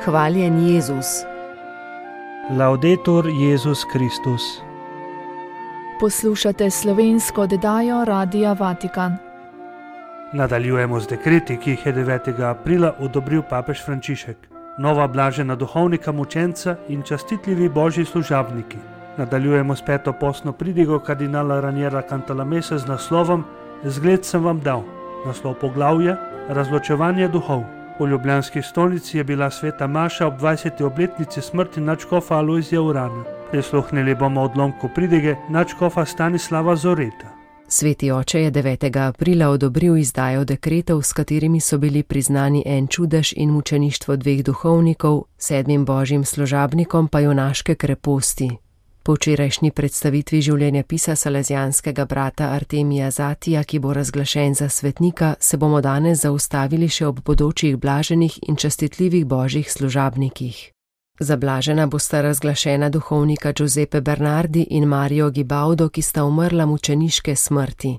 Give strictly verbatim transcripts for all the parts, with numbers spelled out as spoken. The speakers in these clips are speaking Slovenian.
Hvaljen Jezus. Laudetur Jezus Kristus. Poslušate slovensko oddajo Radia Vatikan. Nadaljujemo z dekreti, ki jih je devetega aprila odobril papež Frančišek. Nova blažena duhovnika, mučenca in častitljivi božji služabniki. Nadaljujemo s peto postno pridigo kardinala Raniera Cantalamessa z naslovom Zgled sem vam dal. Naslov poglavja Razločevanje duhov. V ljubljanski stolnici je bila sveta maša ob dvajseti obletnici smrti nadškofa Alojzija Urana. Prisluhnili bomo odlomku pridige nadškofa Stanislava Zoreta. Sveti oče je devetega aprila odobril izdajo dekretov, s katerimi so bili priznani en čudež in mučeništvo dveh duhovnikov, sedmim božjim služabnikom pa junaške kreposti. Po včerajšnji predstavitvi življenjepisa salezijanskega brata Artemija Zatija, ki bo razglašen za svetnika, se bomo danes zaustavili še ob bodočih blaženih in častitljivih božjih služabnikih. Za blažena bosta razglašena duhovnika Giuseppe Bernardi in Mario Gibaudo, ki sta umrla mučeniške smrti.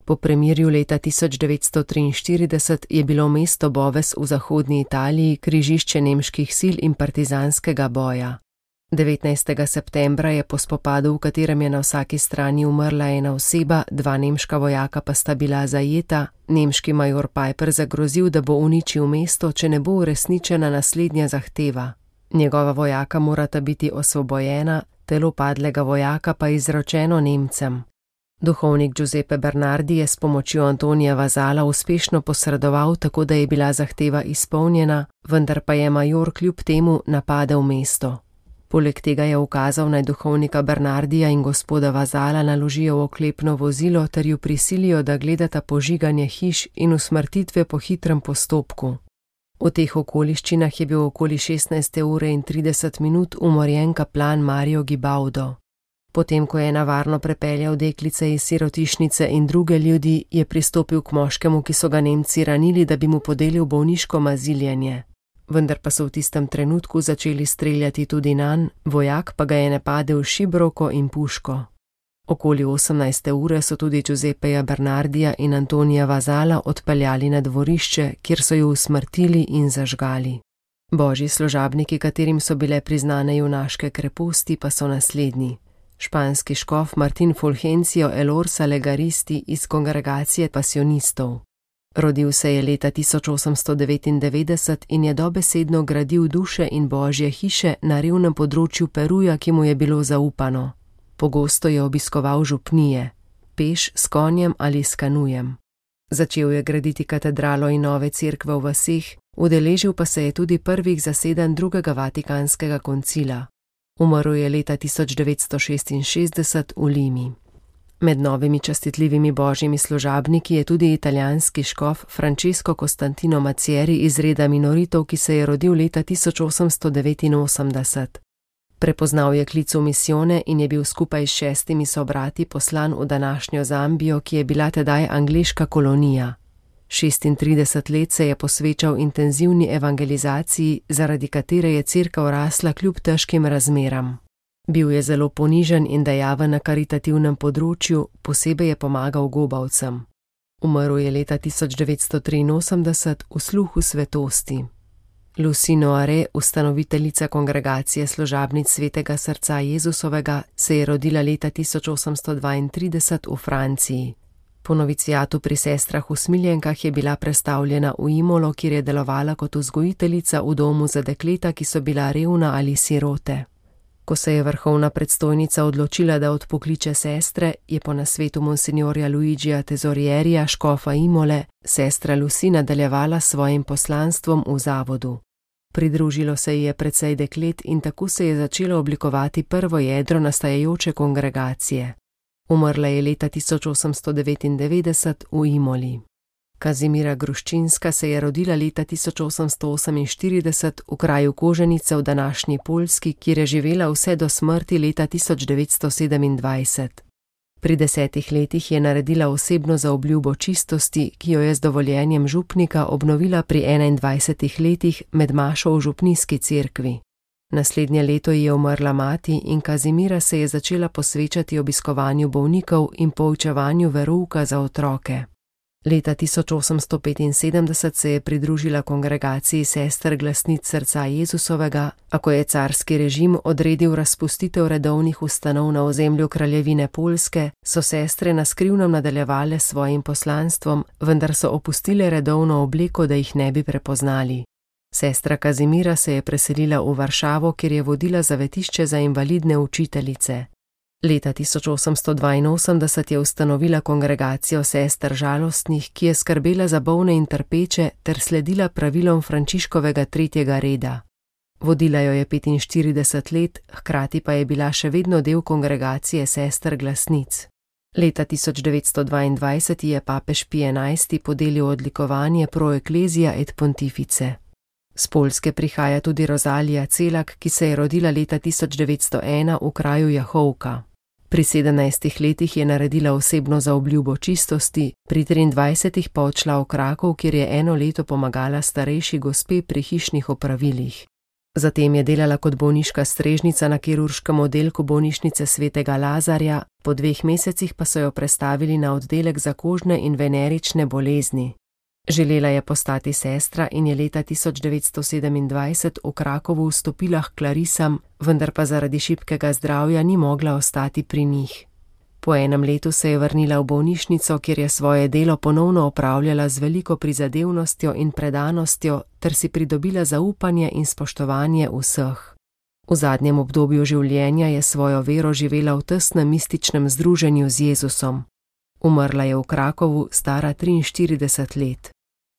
Po premirju leta tisoč devetsto triinštirideset je bilo mesto Boves v zahodni Italiji križišče nemških sil in partizanskega boja. devetnajstega septembra je po spopadu, v katerem je na vsaki strani umrla ena oseba, dva nemška vojaka pa sta bila zajeta, nemški major Piper zagrozil, da bo uničil mesto, če ne bo uresničena naslednja zahteva. Njegova vojaka morata biti osvobojena, telo padlega vojaka pa izročeno Nemcem. Duhovnik Giuseppe Bernardi je s pomočjo Antonija Vazala uspešno posredoval, tako da je bila zahteva izpolnjena, vendar pa je major kljub temu napadel mesto. Poleg tega je ukazal naj duhovnika Bernardija in gospoda Vazala naložijo v oklepno vozilo ter ju prisilijo, da gledata požiganje hiš in usmrtitve po hitrem postopku. V teh okoliščinah je bil okoli šestnajste ure in trideset minut umorjen kaplan Mario Gibaudo. Potem, ko je navarno prepeljal deklice iz sirotišnice in druge ljudi, je pristopil k moškemu, ki so ga Nemci ranili, da bi mu podelil bolniško maziljenje. Vendar pa so v tistem trenutku začeli streljati tudi nanj, vojak pa ga je napadel šibroko in puško. Okoli osemnajste ure so tudi Giuseppeja Bernardija in Antonija Vazala odpeljali na dvorišče, kjer so ju usmrtili in zažgali. Božji služabniki, katerim so bile priznane junaške kreposti, pa so naslednji. Španski škof Martin Fulgencio Elorza Legaristi iz kongregacije pasionistov. Rodil se je leta tisoč osemsto devetindevetdeset in je dobesedno gradil duše in božje hiše na revnem področju Peruja, ki mu je bilo zaupano. Pogosto je obiskoval župnije, peš, s konjem ali s kanujem. Začel je graditi katedralo in nove cerkve v vaseh, udeležil pa se je tudi prvih zasedanj drugega vatikanskega koncila. Umrl je leta tisoč devetsto šestinšestdeset v Limi. Med novimi častitljivimi božjimi služabniki je tudi italijanski škof Francesco Costantino Macieri iz reda minoritov, ki se je rodil leta tisoč osemsto devetinosemdeset. Prepoznal je klic v misijone in je bil skupaj s šestimi sobrati poslan v današnjo Zambijo, ki je bila tedaj angleška kolonija. šestintrideset let se je posvečal intenzivni evangelizaciji, zaradi katere je cerkev rasla kljub težkim razmeram. Bil je zelo ponižen in dejaven na karitativnem področju, posebej je pomagal gobavcem. Umrl je leta tisoč devetsto triinosemdeset v sluhu svetosti. Lucy Noire, ustanoviteljica kongregacije služabnic Svetega srca Jezusovega, se je rodila leta tisoč osemsto dvaintrideset v Franciji. Po novicijatu pri sestrah usmiljenkah je bila prestavljena v Imolo, kjer je delovala kot vzgojiteljica v domu za dekleta, ki so bila revna ali sirote. Ko se je vrhovna predstojnica odločila, da odpokliče sestre, je po nasvetu monsignorja Luigija Tesorierija, škofa Imole, sestra Lucy nadaljevala s svojim poslanstvom v zavodu. Pridružilo se ji je precej deklet in tako se je začelo oblikovati prvo jedro nastajajoče kongregacije. Umrla je leta tisoč osemsto devetindevetdeset v Imoli. Kazimira Gruščinska se je rodila leta tisoč osemsto oseminštirideset v kraju Koženice v današnji Poljski, kjer je živela vse do smrti leta tisoč devetsto sedemindvajset. Pri desetih letih je naredila osebno zaobljubo čistosti, ki jo je z dovoljenjem župnika obnovila pri enaindvajsetih letih med mašo v župnijski cerkvi. Naslednje leto ji je umrla mati in Kazimira se je začela posvečati obiskovanju bolnikov in poučevanju verouka za otroke. Leta tisoč osemsto petinsedemdeset se je pridružila kongregaciji sester glasnic srca Jezusovega, a ko je carski režim odredil razpustitev redovnih ustanov na ozemlju kraljevine Poljske, so sestre na skrivnem nadaljevale s svojim poslanstvom, vendar so opustile redovno obleko, da jih ne bi prepoznali. Sestra Kazimira se je preselila v Varšavo, kjer je vodila zavetišče za invalidne učiteljice. Leta tisoč osemsto dvainosemdeset je ustanovila kongregacijo sester žalostnih, ki je skrbela za bolne in trpeče ter sledila pravilom Frančiškovega tretjega reda. Vodila jo je petinštirideset let, hkrati pa je bila še vedno del kongregacije sester glasnic. Leta tisoč devetsto dvaindvajset je papež Pij enajsti podelil odlikovanje Pro Ecclesia et Pontifice. Z Poljske prihaja tudi Rozalija Celak, ki se je rodila leta tisoč devetsto ena v kraju Jahovka. Pri sedemnajstih letih je naredila osebno zaobljubo čistosti, pri triindvajsetih pa odšla v Krakov, kjer je eno leto pomagala starejši gospe pri hišnih opravilih. Zatem je delala kot bolniška strežnica na kirurškem oddelku bolnišnice svetega Lazarja, po dveh mesecih pa so jo prestavili na oddelek za kožne in venerične bolezni. Želela je postati sestra in je leta tisoč devetsto sedemindvajset v Krakovu vstopila k klarisam, vendar pa zaradi šibkega zdravja ni mogla ostati pri njih. Po enem letu se je vrnila v bolnišnico, kjer je svoje delo ponovno opravljala z veliko prizadevnostjo in predanostjo ter si pridobila zaupanje in spoštovanje vseh. V zadnjem obdobju življenja je svojo vero živela v tesnem mističnem združenju z Jezusom. Umrla je v Krakovu, stara triinštirideset let.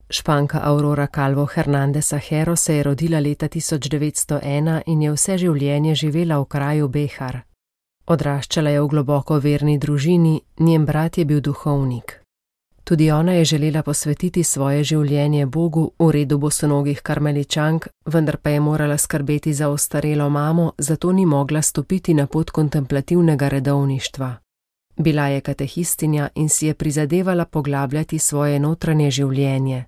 Španka Aurora Calvo Hernandez Ajero se je rodila leta tisoč devetsto ena in je vse življenje živela v kraju Behar. Odraščala je v globoko verni družini, njen brat je bil duhovnik. Tudi ona je želela posvetiti svoje življenje Bogu v redu bosonogih karmeličank, vendar pa je morala skrbeti za ostarelo mamo, zato ni mogla stopiti na pot kontemplativnega redovništva. Bila je katehistinja in si je prizadevala poglabljati svoje notranje življenje.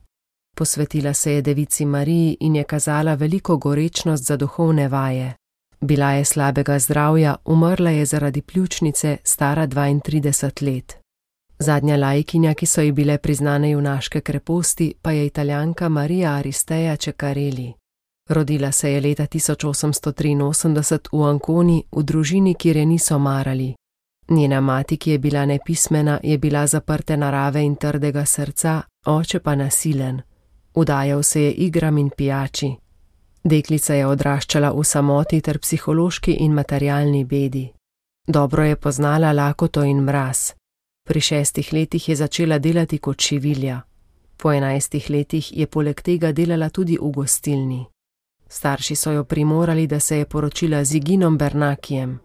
Posvetila se je Devici Mariji in je kazala veliko gorečnost za duhovne vaje. Bila je slabega zdravja, umrla je zaradi pljučnice, stara dvaintrideset let. Zadnja laikinja, ki so ji bile priznane junaške kreposti, pa je Italijanka Marija Aristeja Ceccarelli. Rodila se je leta tisoč osemsto triinosemdeset v Anconi, v družini, kjer je niso marali. Njena mati, ki je bila nepismena, je bila zaprte narave in trdega srca, oče pa nasilen. Udajal se je igram in pijači. Deklica je odraščala v samoti ter psihološki in materialni bedi. Dobro je poznala lakoto in mraz. Pri šestih letih je začela delati kot šivilja. Po enajstih letih je poleg tega delala tudi v gostilni. Starši so jo primorali, da se je poročila z Iginom Bernakijem.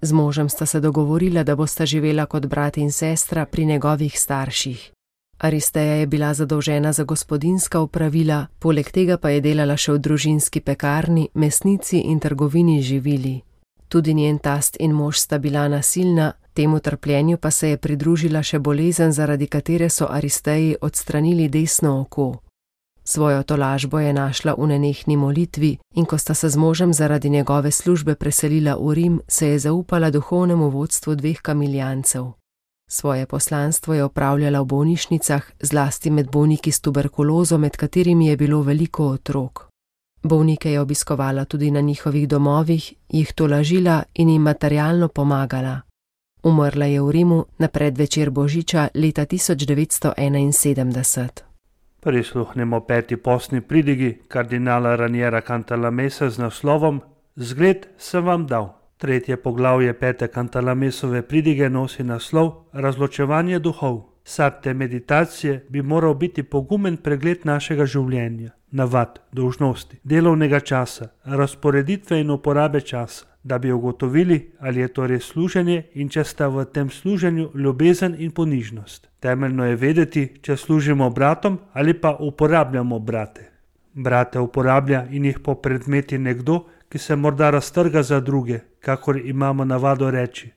Z možem sta se dogovorila, da bosta živela kot brat in sestra pri njegovih starših. Aristeja je bila zadolžena za gospodinjska opravila, poleg tega pa je delala še v družinski pekarni, mesnici in trgovini živili. Tudi njen tast in mož sta bila nasilna, temu trpljenju pa se je pridružila še bolezen, zaradi katere so Aristeji odstranili desno oko. Svojo tolažbo je našla v nenehni molitvi in ko sta se z možem zaradi njegove službe preselila v Rim, se je zaupala duhovnemu vodstvu dveh kamiljancev. Svoje poslanstvo je opravljala v bolnišnicah, zlasti med bolniki s tuberkulozo, med katerimi je bilo veliko otrok. Bolnike je obiskovala tudi na njihovih domovih, jih tolažila in jim materialno pomagala. Umrla je v Rimu na predvečer Božiča leta tisoč devetsto enainsedemdeset. Prisluhnemo peti postni pridigi kardinala Raniera Cantalamessa z naslovom Zgled sem vam dal. Tretje poglavje pete Cantalamessove pridige nosi naslov Razločevanje duhov. Sad te meditacije bi moral biti pogumen pregled našega življenja, navad, dolžnosti, delovnega časa, razporeditve in uporabe časa, da bi ugotovili, ali je to res služenje in če sta v tem služenju ljubezen in ponižnost. Temeljno je vedeti, če služimo bratom ali pa uporabljamo brate. Brate uporablja in jih popredmeti nekdo, ki se morda raztrga za druge, kakor imamo navado reči,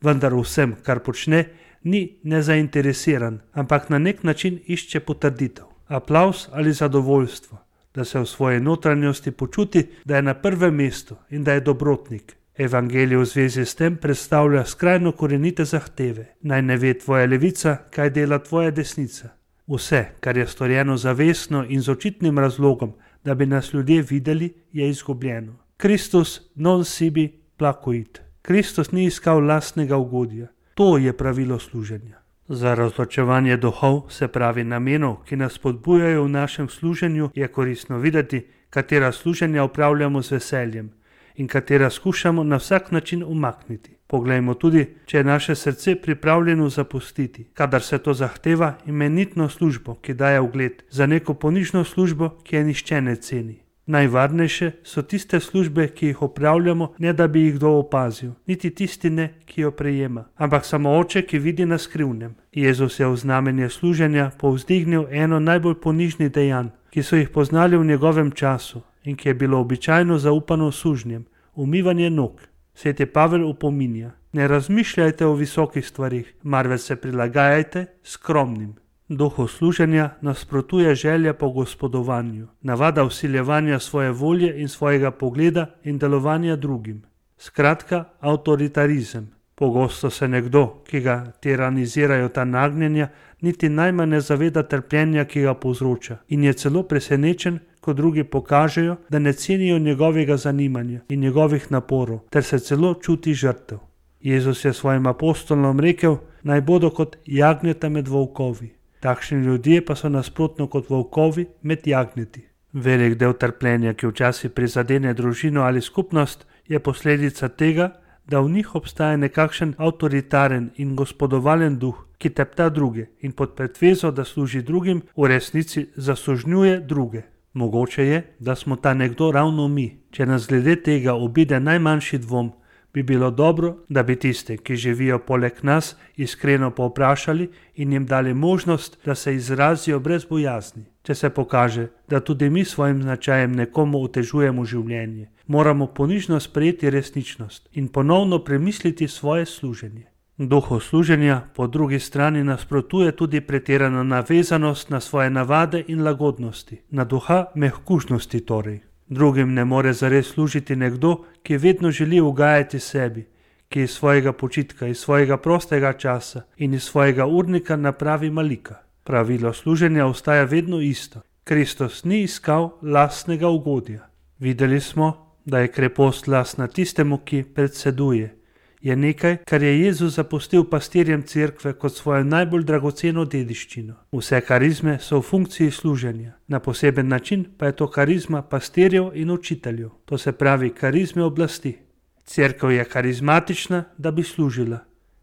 vendar vsem, kar počne, ni nezainteresiran, ampak na nek način išče potrditev, aplavz ali zadovoljstvo, da se v svoji notranjosti počuti, da je na prvem mestu in da je dobrotnik. Evangelij v zvezi s tem predstavlja skrajno korenite zahteve. Naj ne ve tvoja levica, kaj dela tvoja desnica. Vse, kar je storjeno zavestno in z očitnim razlogom, da bi nas ljudje videli, je izgubljeno. Kristus non sibi placuit. Kristus ni iskal lastnega ugodja. To je pravilo služenja. Za razločevanje duhov, se pravi namenov, ki nas spodbujajo v našem služenju, je koristno videti, katera služenja upravljamo z veseljem in katera skušamo na vsak način umakniti. Poglejmo tudi, če je naše srce pripravljeno zapustiti, kadar se to zahteva, imenitno službo, ki daje ugled, za neko ponižno službo, ki je nihče ne ceni. Najvarnejše so tiste službe, ki jih opravljamo, ne da bi jih kdo opazil, niti tisti ne, ki jo prejema, ampak samo Oče, ki vidi na skrivnem. Jezus je v znamenje služenja povzdignil eno najbolj ponižnih dejanj, ki so jih poznali v njegovem času in ki je bilo običajno zaupano sužnjem, umivanje nog. Sveti Pavel upominja: ne razmišljajte o visokih stvarih, marveč se prilagajajte skromnim. Duhu služenja nasprotuje želja po gospodovanju, navada vsiljevanja svoje volje in svojega pogleda in delovanja drugim. Skratka, avtoritarizem. Pogosto se nekdo, ki ga tiranizirajo ta nagnjenja, niti najmanj ne zaveda trpljenja, ki ga povzroča, in je celo presenečen, ko drugi pokažejo, da ne cenijo njegovega zanimanja in njegovih naporov, ter se celo čuti žrtev. Jezus je svojim apostolom rekel, naj bodo kot jagnjeta med volkovi. Takšni ljudje pa so nasprotno kot volkovi med jagnjeti. Velik del trpljenja, ki včasih prizadene družino ali skupnost, je posledica tega, da v njih obstaja nekakšen avtoritaren in gospodovalen duh, ki tepta druge in pod pretvezo, da služi drugim, v resnici zasužnjuje druge. Mogoče je, da smo ta nekdo ravno mi. Če nas glede tega obide najmanjši dvom, bi bilo dobro, da bi tiste, ki živijo poleg nas, iskreno povprašali in jim dali možnost, da se izrazijo brez bojazni. Če se pokaže, da tudi mi svojim značajem nekomu otežujemo življenje, moramo ponižno sprejeti resničnost in ponovno premisliti svoje služenje. Duhu služenja po drugi strani nasprotuje tudi pretirana navezanost na svoje navade in lagodnosti, na duha mehkužnosti torej. Drugim ne more zares služiti nekdo, ki vedno želi ugajati sebi, ki iz svojega počitka, iz svojega prostega časa in iz svojega urnika napravi malika. Pravilo služenja ostaja vedno isto. Kristus ni iskal lastnega ugodja. Videli smo, da je krepost lastna tistemu, ki predseduje. Je nekaj, kar je Jezus zapustil pastirjem cerkve kot svojo najbolj dragoceno dediščino. Vse karizme so v funkciji služenja. Na poseben način pa je to karizma pastirjev in učiteljev. To se pravi karizme oblasti. Cerkev je karizmatična, da bi služila,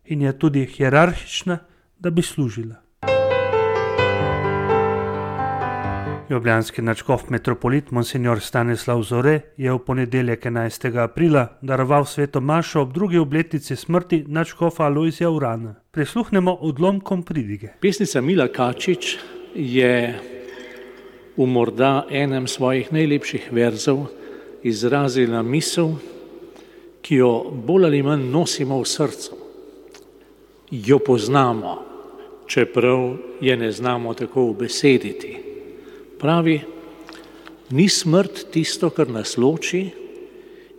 in je tudi hierarhična, da bi služila. Ljubljanski nadškof metropolit Monsignor Stanislav Zore je v ponedeljek enajstega aprila daroval sveto mašo ob drugi obletnici smrti nadškofa Alojzija Urana. Prisluhnemo odlomkom pridige. Pesnica Mila Kačič je v morda enem svojih najlepših verzov izrazila misel, ki jo bolj ali manj nosimo v srcu. Jo poznamo, čeprav je ne znamo tako ubesediti. Pravi, ni smrt tisto, kar nas loči,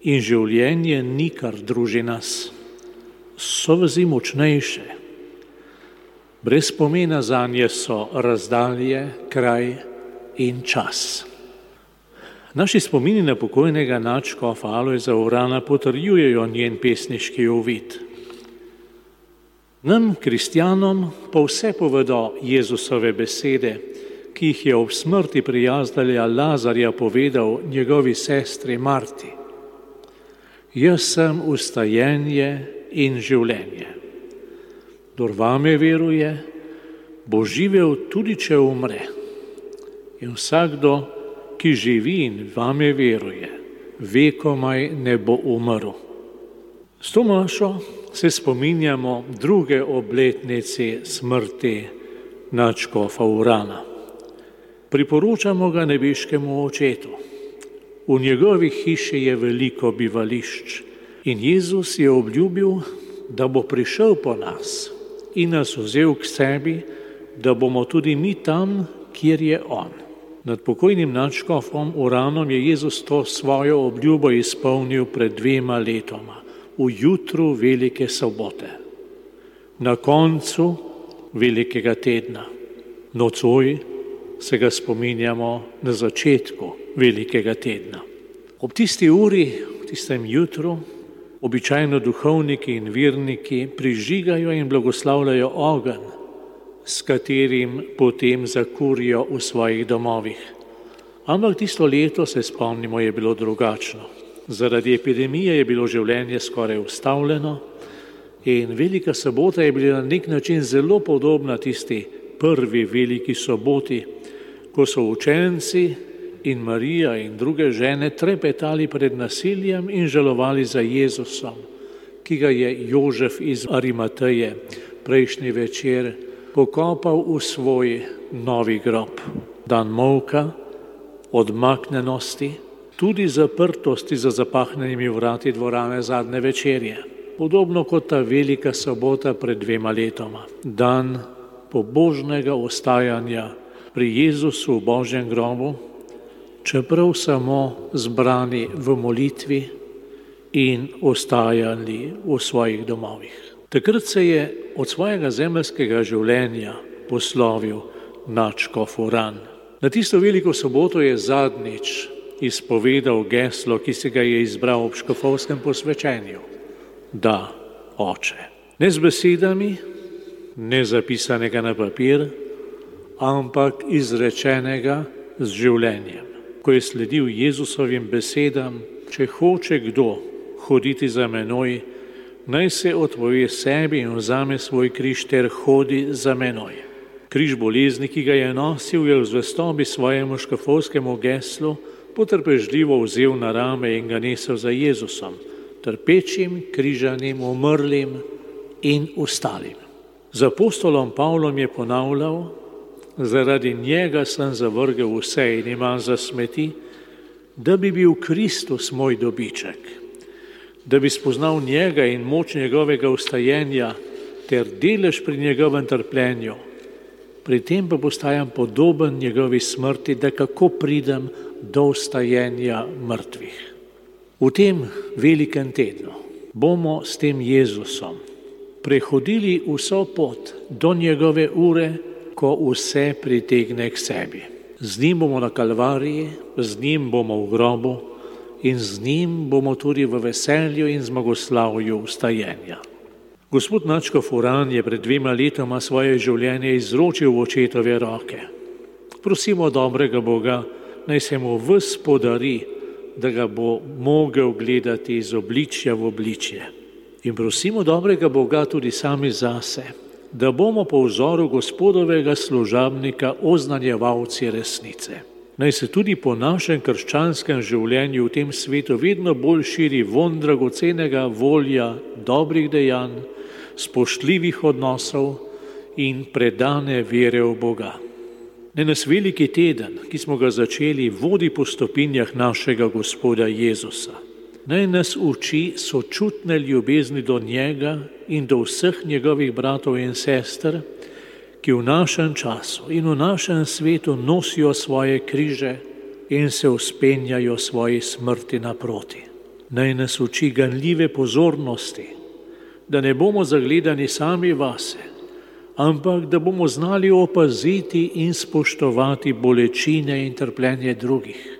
in življenje ni, kar druži nas. So vezi močnejše. Brez pomena zanje so razdalje, kraj in čas. Naši spomini na pokojnega nadškofa Alojza Urana potrjujejo njen pesniški uvid. Nam, kristjanom, pa vse povedo Jezusove besede, ki jih je ob smrti prijazdelja Lazarja povedal njegovi sestri Marti. Jaz sem ustajenje in življenje. Kdor vame veruje, bo živel tudi, če umre. In vsakdo, ki živi in vame veruje, vekomaj ne bo umrl. S to mašo se spominjamo druge obletnice smrti nadškofa Urana. Priporočamo ga nebeškemu očetu. V njegovi hiši je veliko bivališč in Jezus je obljubil, da bo prišel po nas in nas vzel k sebi, da bomo tudi mi tam, kjer je on. Nad pokojnim nadškofom Uranom je Jezus to svojo obljubo izpolnil pred dvema letoma, v jutru velike sobote, na koncu velikega tedna. Nocoj se ga spominjamo na začetku velikega tedna. Ob tisti uri, v tistem jutru, običajno duhovniki in verniki prižigajo in blagoslavljajo ogenj, s katerim potem zakurijo v svojih domovih. Ampak tisto leto, se spomnimo, je bilo drugačno. Zaradi epidemije je bilo življenje skoraj ustavljeno in Velika sobota je bila na nek način zelo podobna tisti prvi veliki soboti, ko so učenci in Marija in druge žene trepetali pred nasiljem in žalovali za Jezusom, ki ga je Jožef iz Arimateje prejšnji večer pokopal v svoj novi grob. Dan molka, odmaknenosti, tudi zaprtosti za zapahnjenimi vrati dvorane zadnje večerje. Podobno kot ta velika sobota pred dvema letoma. Dan pobožnega ostajanja pri Jezusu v Božjem grobu, čeprav samo zbrani v molitvi in ostajali v svojih domovih. Takrat se je od svojega zemeljskega življenja poslovil nadškof Uran. Na tisto veliko soboto je zadnjič izpovedal geslo, ki si ga je izbral ob škofovskem posvečenju. Da, Oče. Ne z besedami, ne zapisanega na papir, ampak izrečenega z življenjem. Ko je sledil Jezusovim besedam, če hoče kdo hoditi za menoj, naj se odpove sebi in vzame svoj križ ter hodi za menoj. Križ bolezni, ki ga je nosil, je v zvestobi svojemu škofovskemu geslu potrpežljivo vzel na rame in ga nesel za Jezusom, trpečim, križanim, umrlim in ostalim. Z apostolom Pavlom je ponavljal: zaradi njega sem zavrgel vse in imam za smeti, da bi bil Kristus moj dobiček, da bi spoznal njega in moč njegovega vstajenja ter delež pri njegovem trpljenju. Pri tem pa postajam podoben njegovi smrti, da kako pridem do vstajenja mrtvih. V tem velikem tednu bomo s tem Jezusom prehodili vso pot do njegove ure, ko vse pritegne k sebi. Z njim bomo na Kalvariji, z njim bomo v grobu in z njim bomo tudi v veselju in zmagoslavju vstajenja. Gospod nadškof Uran je pred dvema letoma svoje življenje izročil v očetove roke. Prosimo dobrega Boga, naj se mu ves podari, da ga bo mogel gledati iz obličja v obličje. In prosimo dobrega Boga tudi sami zase, da bomo po vzoru Gospodovega služabnika oznanjevalci resnice. Naj se tudi po našem krščanskem življenju v tem svetu vedno bolj širi vonj dragocenega volja, dobrih dejanj, spoštljivih odnosov in predane vere v Boga. Naj nas veliki teden, ki smo ga začeli, vodi po stopinjah našega Gospoda Jezusa. Naj nas uči sočutne ljubezni do njega in do vseh njegovih bratov in sester, ki v našem času in v našem svetu nosijo svoje križe in se vzpenjajo svoji smrti naproti. Naj nas uči ganljive pozornosti, da ne bomo zagledani sami vase, ampak da bomo znali opaziti in spoštovati bolečine in trpljenje drugih.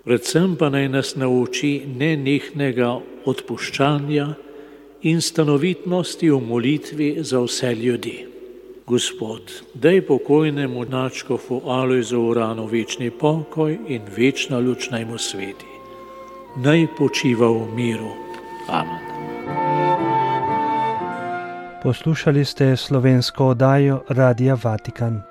Predvsem pa naj nas nauči nenehnega odpuščanja in stanovitnosti v molitvi za vse ljudi. Gospod, daj pokojnemu nadškofu Alojzu Uranu večni pokoj in večna luč naj mu sveti. Naj počiva v miru. Amen. Poslušali ste slovensko oddajo Radia Vatikan.